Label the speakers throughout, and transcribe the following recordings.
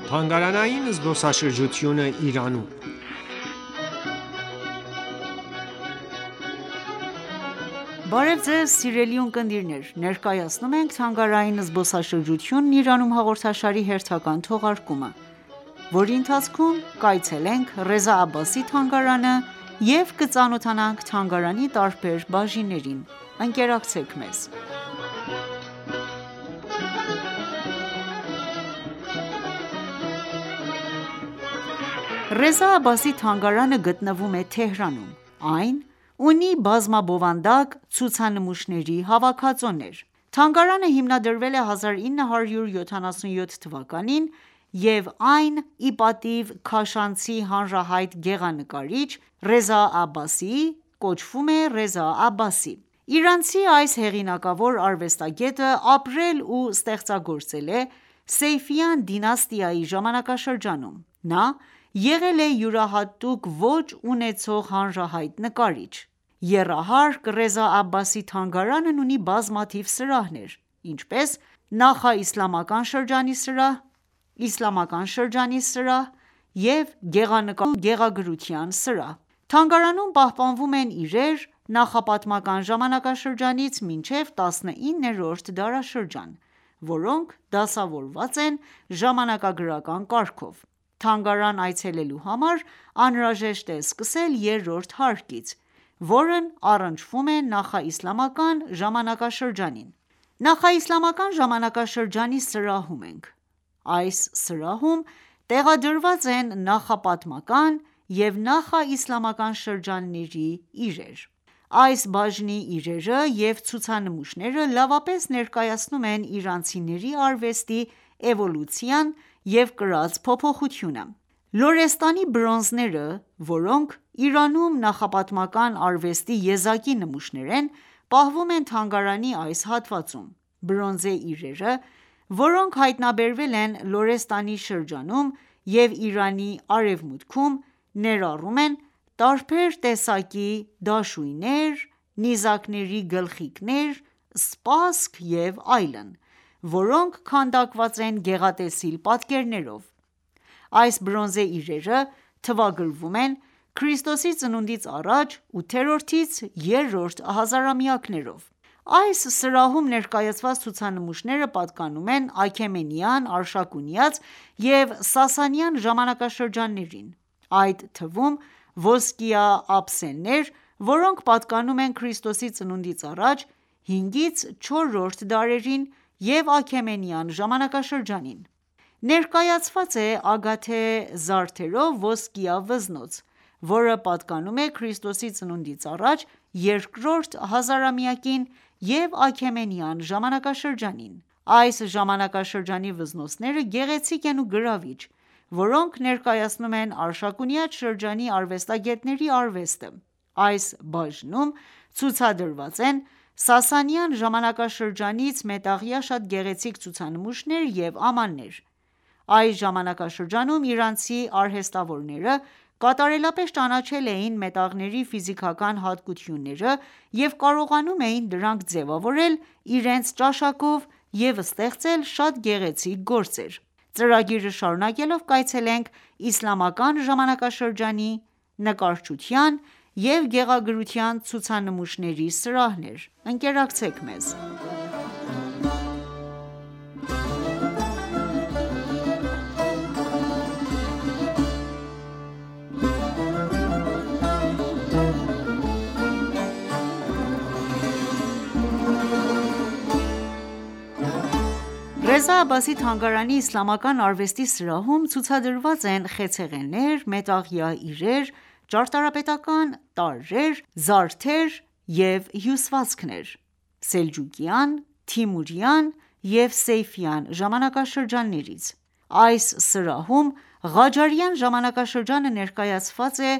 Speaker 1: Թանգարանային զբոսաշրջությունը Իրանում
Speaker 2: Բարև Ձեզ սիրելի ունկնդիրներ, ներկայացնում ենք «Թանգարանային զբոսաշրջությունն Իրանում» հաղորդաշարի հերթական թողարկումը, որի ընթացքում կայցելենք Ռեզա Աբբասի թանգարանը և կծանոթանանք թանգարանի տարբեր բաժիններին: Ընկերակցեք մեզ: Ռեզա Աբբասի թանգարանը գտնվում է Թեհրանում: Այն ունի բազմաբովանդակ ցուցանմուշների հավաքածոներ: Թանգարանը հիմնադրվել է 1977 թվականին և այն ի պատիվ քաշանցի հանրահայտ գեղանկարիչ Ռեզա Աբբասիի կոչվում է Ռեզա Աբբասի: Իրանցի այս հեղինակավոր արվեստագետը ապրել ու ստեղծագործել է Սեյֆիյան դինաստիայի ժամանակաշրջանում: Նա եղել է յուրահատուկ ոճ ունեցող հանրահայտ նկարիչ: Եռահարկ Ռեզա Աբբասի թանգարանն ունի բազմաթիվ սրահներ, ինչպես՝ նախաիսլամական շրջանի սրահ, իսլամական շրջանի սրահ և գեղանկարչության ու գեղագրության սրահ: Թանգարանում պահպանվում են իրեր նախապատմական ժամանակաշրջանից մինչև 19-րդ դարաշրջան, որոնք դասավորված են ժամանակագրական կարգով: Թանգարան այցելելու համար անհրաժեշտ է սկսել երրորդ հարկից, որն առնչվում է նախաիսլամական ժամանակաշրջանին: Նախաիսլամական ժամանակաշրջանի սրահում ենք: Այս սրահում տեղադրված են նախապատմական և նախաիսլամական շրջանների իրեր: Այս բաժնի իրերը և ցուցանմուշները լավապես ներկայացնում են իրանցիների արվեստի էվոլյուցիան և կրած փոփոխությունը: Լորեստանի բրոնզները, որոնք Իրանում նախապատմական արվեստի եզակի նմուշներ են, պահվում են թանգարանի այս հատվածում: Բրոնզե իրերը, որոնք հայտնաբերվել են Լորեստանի շրջանում և Իրանի արևմուտքում, ներառում են տարբեր տեսակի դաշույններ, նիզակների գլխիկներ, սպասք և այլն, որոնք քանդակված են գեղատեսիլ պատկերներով: Այս բրոնզե իրերը թվագրվում են Ք.ծ.ա. 8-րդից 3-րդ հազարամյակներով: Այս սրահում ներկայացված ցուցանմուշները պատկանում են Աքեմենյան, Արշակունյաց և Սասանյան ժամանակաշրջաններին, այդ թվում ոսկյա ափսեներ, որոնք պատկանում են Ք.ծ.ա. 5-ից 4-րդ դարերին և Աքեմենյան ժամանակաշրջանին: Ներկայացված է ագաթե զարդերով ոսկյա վզնոց, որը պատկանում է Ք.ծ.ա. 2-րդ հազարամյակին և Աքեմենյան ժամանակաշրջանին: Այս ժամանակաշրջանի վզնոցները գեղեցիկ են ու գրավիչ, որոնք ներկայացնում են Արշակունյաց շրջանի արվեստագետների արվեստը: Այս բաժնում ցուցադրված են Սասանյան ժամանակաշրջանից մետաղյա շատ գեղեցիկ ցուցանմուշներ և ամաններ: Այս ժամանակաշրջանում իրանցի արհեստավորները կատարելապես ճանաչել էին մետաղների ֆիզիկական հատկությունները և կարողանում էին դրանք ձևավորել իրենց ճաշակով և ստեղծել շատ գեղեցիկ գործեր: Ծրագիրը շարունակելով կայցելենք իսլամական ժամանակաշրջանի նկարչության և գեղագրության ցուցանմուշների սրահներ: Ընկերակցեք մեզ: Ռեզա Աբբասի թանգարանի իսլամական արվեստի սրահում ցուցադրված են խեցեղեններ, մետաղյա իրեր, ճարտարապետական տարրեր, զարդեր և հյուսվածքներ՝ սելջուկյան, թիմուրյան և Սեյֆյան ժամանակաշրջաններից: Այս սրահում Ղաջարյան ժամանակաշրջանը ներկայացված է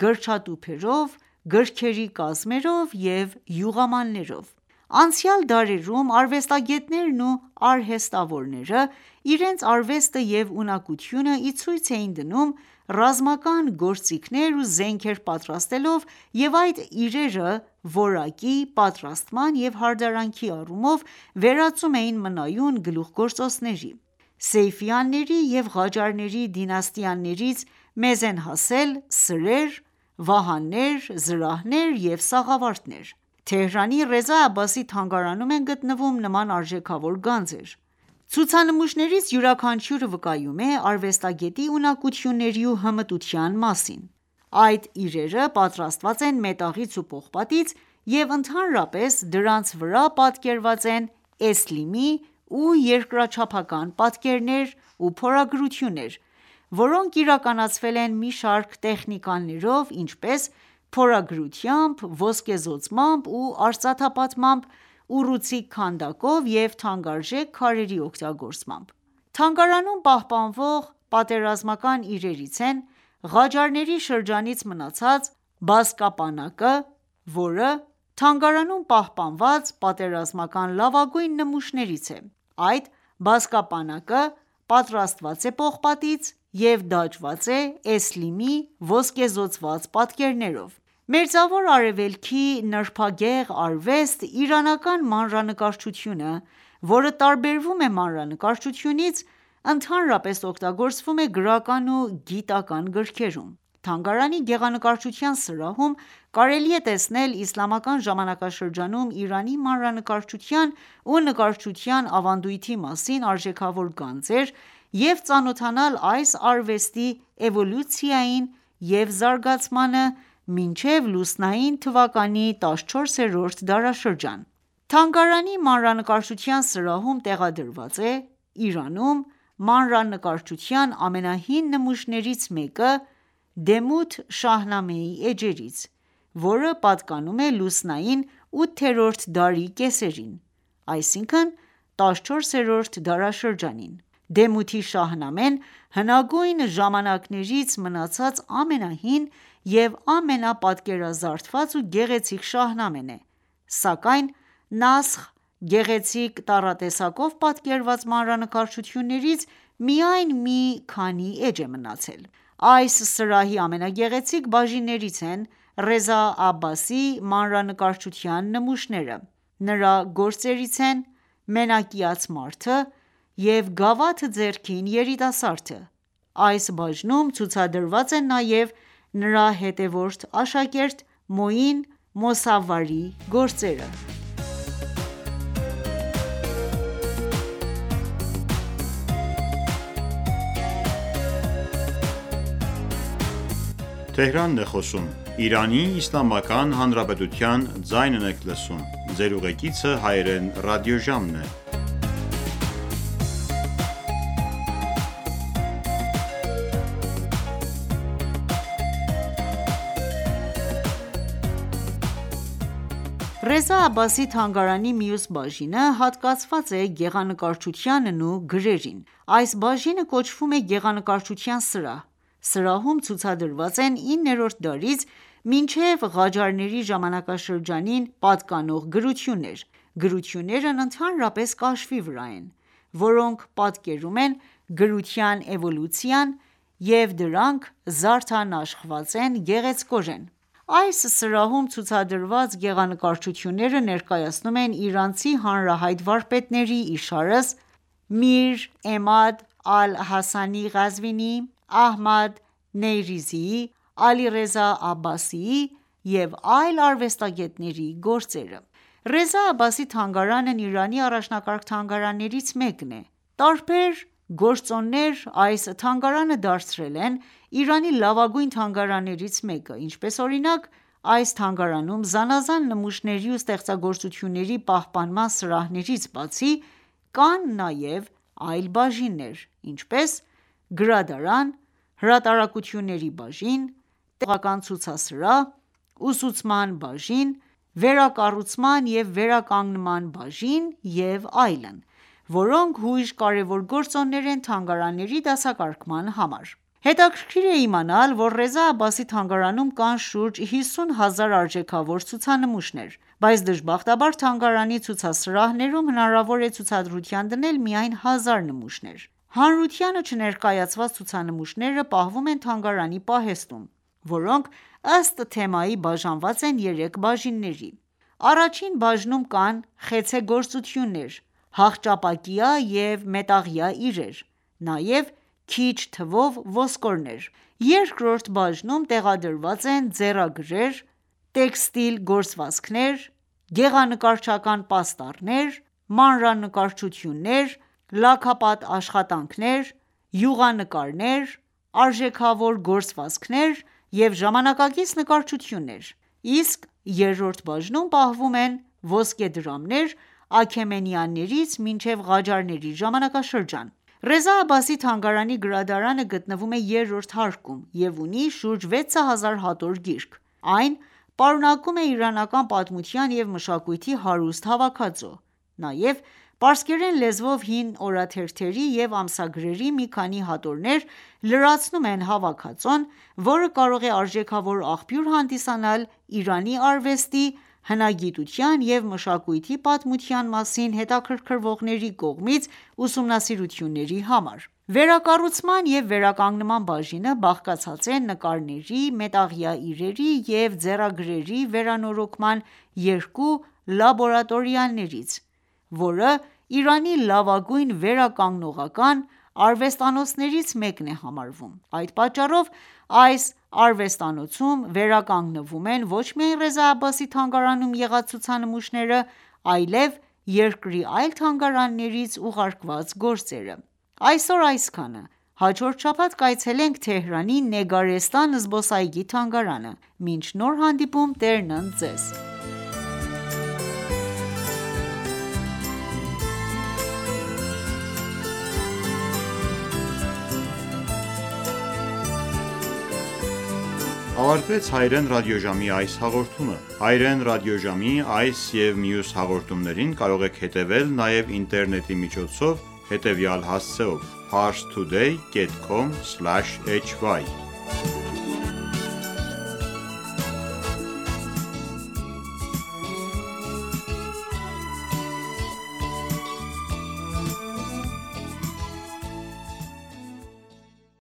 Speaker 2: գրչատուփերով, գրքերի կազմերով և յուղամաններով: Անցյալ դարերում արվեստագետներն ու արհեստավորները իրենց արվեստը և ունակությունը ի ցույց էին դնում ռազմական գործիքներ ու զենքեր պատրաստելով և այդ իրերը որակի, պատրաստման և հարդարանքի առումով վերածում էին մնայուն գլուխգործոցների: Սեյֆյանների և Ղաջարների դինաստիաներից մեզ են հասել սրեր, վահաններ, զրահներ և սաղավարտներ: Թեհրանի Ռեզա Աբբասի թանգարանում են գտնվում նման արժեքավոր գանձեր: Ցուցանմուշներից յուրաքանչյուրը վկայում է արվեստագետի ունակությունների ու հմտության մասին: Այդ իրերը պատրաստված են մետաղից ու պողպատից և ընդհանրապես դրանց վրա պատկերված են էսլիմի ու երկրաչափական պատկերներ ու փորագրություններ, որոնք իրականացվել են մի շարք տեխնիկաներով, ինչպես՝ փորագրությամբ, ոսկեզօծմամբ ու արծաթապատմամբ, ուռուցիկ քանդակով և թանկարժեք քարերի օգտագործմամբ: Թանգարանում պահպանվող պատերազմական իրերից են Ղաջարների շրջանից մնացած բազկապանակը, որը թանգարանում պահպանված պատերազմական լավագույն նմուշներից է: Այդ բազկապանակը պատրաստված է պողպատից և դաջված է էսլիմի ոսկեզօծված պատկերներով: Մերձավոր Արևելքի նրբագեղ արվեստ իրանական մանրանկարչությունը, որը տարբերվում է մանրանկարչությունից, ընդհանրապես օգտագործվում է գրական ու գիտական գրքերում: Թանգարանի գեղանկարչության սրահում կարելի է տեսնել իսլամական ժամանակաշրջանում Իրանի մանրանկարչության ու նկարչության ավանդույթի մասին արժեքավոր գանձեր և ծանոթանալ այս արվեստի էվոլյուցիային և զարգացմանը մինչև լուսնային թվականի 14-րդ դարաշրջան: Թանգարանի մանրանկարչության սրահում տեղադրված է Իրանում մանրանկարչության ամենահին նմուշներից մեկը Դեմութ Շահնամեի էջերից, որը պատկանում է լուսնային 8-րդ դարի կեսերին, այսինքն 14-րդ դարաշրջանին: Դեմութի Շահնամեն հնագույն ժամանակներից մնացած ամենահին և ամենապատկերազարդված ու գեղեցիկ շահնամեն է, սակայն Նասխ գեղեցիկ տառատեսակով պատկերված մանրանկարչություններից միայն մի քանի էջ է մնացել: Այս սրահի ամենագեղեցիկ բաժիններից են Ռեզա Աբբասի մանրանկարչության նմուշները: Նրա գործերից են Մենակյաց մարդը և գավաթ ձեռքին երիտասարդը: Այս բաժնում ցուցադրված են նաև նրա հետևորդ աշակերտ Մոին Մոսավվարի գործերը: Ռեզա Աբբասի թանգարանի մյուս բաժինը հատկացված է գեղանկարչությանն ու գրերին: Այս բաժինը կոչվում է գեղանկարչության սրահ: Սրահում ցուցադրված են 9-րդ դարից մինչև Ղաջարների ժամանակաշրջանին պատկանող գրություններ: Գրություններն ընդհանրապես կաշվի վրա են, որոնք պատկերում են գրության էվոլյուցիան և դրանք զարդանախշված են գեղեցկորեն: Այս սրահում ցուցադրված գեղանկարչությունները ներկայացնում են իրանցի հանրահայտ վարպետների իշարս Միր Էմադ Ալ-Հասանի Ղազվինիի, Ահմադ Նեյրիզիի, Ալիռեզա Աբբասիի և այլ արվեստագետների գործերը: Ռեզա Աբբասի թանգարանն Իրանի առաջնակարգ թանգարաններից մեկն է: Տարբեր գործոններ այս թանգարանը դարձրել են Իրանի լավագույն թանգարաններից մեկը, ինչպես օրինակ այս թանգարանում զանազան նմուշների ու ստեղծագործությունների պահպանման սրահներից բացի, կան նաև այլ բաժիններ, ինչպես՝ գրադարան, հրատարակությունների բաժին, տեղական ցուցասրահ, ուսուցման բաժին, վերակառուցման և վերականգնման բաժին և այլն, որոնք հույժ կարևոր գործոններ են թանգարանների դասակարգման համար: Հետաքրքիր է իմանալ, որ Ռեզա Աբբասի թանգարանում կան շուրջ 50 հազար արժեքավոր ցուցանմուշներ, բայց դժբախտաբար թանգարանի ցուցասրահներում հնարավոր է ցուցադրության դնել միայն 1000 նմուշներ: Հանրությանը չներկայացված ցուցանմուշները պահվում են թանգարանի պահեստում, որոնք ըստ թեմայի բաժանված են 3 բաժինների: Առաջին բաժնում կան խեցեգործություններ, հախճապակյա և մետաղյա իրեր, նաև քիչ թվով ոսկորներ։ Երկրորդ բաժնում տեղադրված են ձեռագրեր, տեքստիլ գործվածքներ, գեղանկարչական պաստառներ, մանրանկարչություններ, լաքապատ աշխատանքներ, յուղանկարներ, արժեքավոր գործվածքներ և ժամանակակից նկարչություններ, իսկ երրորդ բաժնում պահվում են ոսկեդրամներ Աքեմենյաններից մինչև Ղաջարների ժամանակաշրջան։ Ռեզա Աբբասի թանգարանի գրադարանը գտնվում է երրորդ հարկում և ունի շուրջ 6000 հատոր գիրք։ Այն պարունակում է իրանական պատմության և մշակույթի հարուստ հավաքածու։ Նաև պարսկերեն լեզվով հին օրաթերթերի և ամսագրերի մի քանի հատորներ լրացնում են հավաքածուն, որը կարող է արժեքավոր աղբյուր հանդիսանալ Իրանի արվեստի, հնագիտության և մշակույթի պատմության մասին հետաքրքրվողների կողմից ուսումնասիրությունների համար։ Վերակառուցման և վերականգնման բաժինը բաղկացած է նկարների, մետաղյա իրերի և ձեռագրերի վերանորոգման երկու լաբորատորիաներից, որը Իրանի լավագույն վերականգնողական արվեստանոցներից մեկն է համարվում։ Այդ պատճառով այս արվեստանոցում վերականգնվում են ոչ միայն Ռեզա Աբբասի թանգարանում եղած ցուցանմուշները, այլև երկրի այլ թանգարաններից ուղարկված գործերը։ Այսօր այսքանը։ Հաջորդ շաբաթ կայցելենք Թեհրանի Նեգարեստան զբոսայգի թանգարանը։ Մինչ նոր հանդիպում Տերն ընդ Ձեզ։
Speaker 3: Ավարտվեց հայրեն ռադիոժամի այս հաղորդումը։ Հայրեն ռադիոժամի այս և մյուս հաղորդումներին կարող եք հետևել նաև ինտերնետի միջոցով հետևյալ հասցեով՝ parstoday.com/hy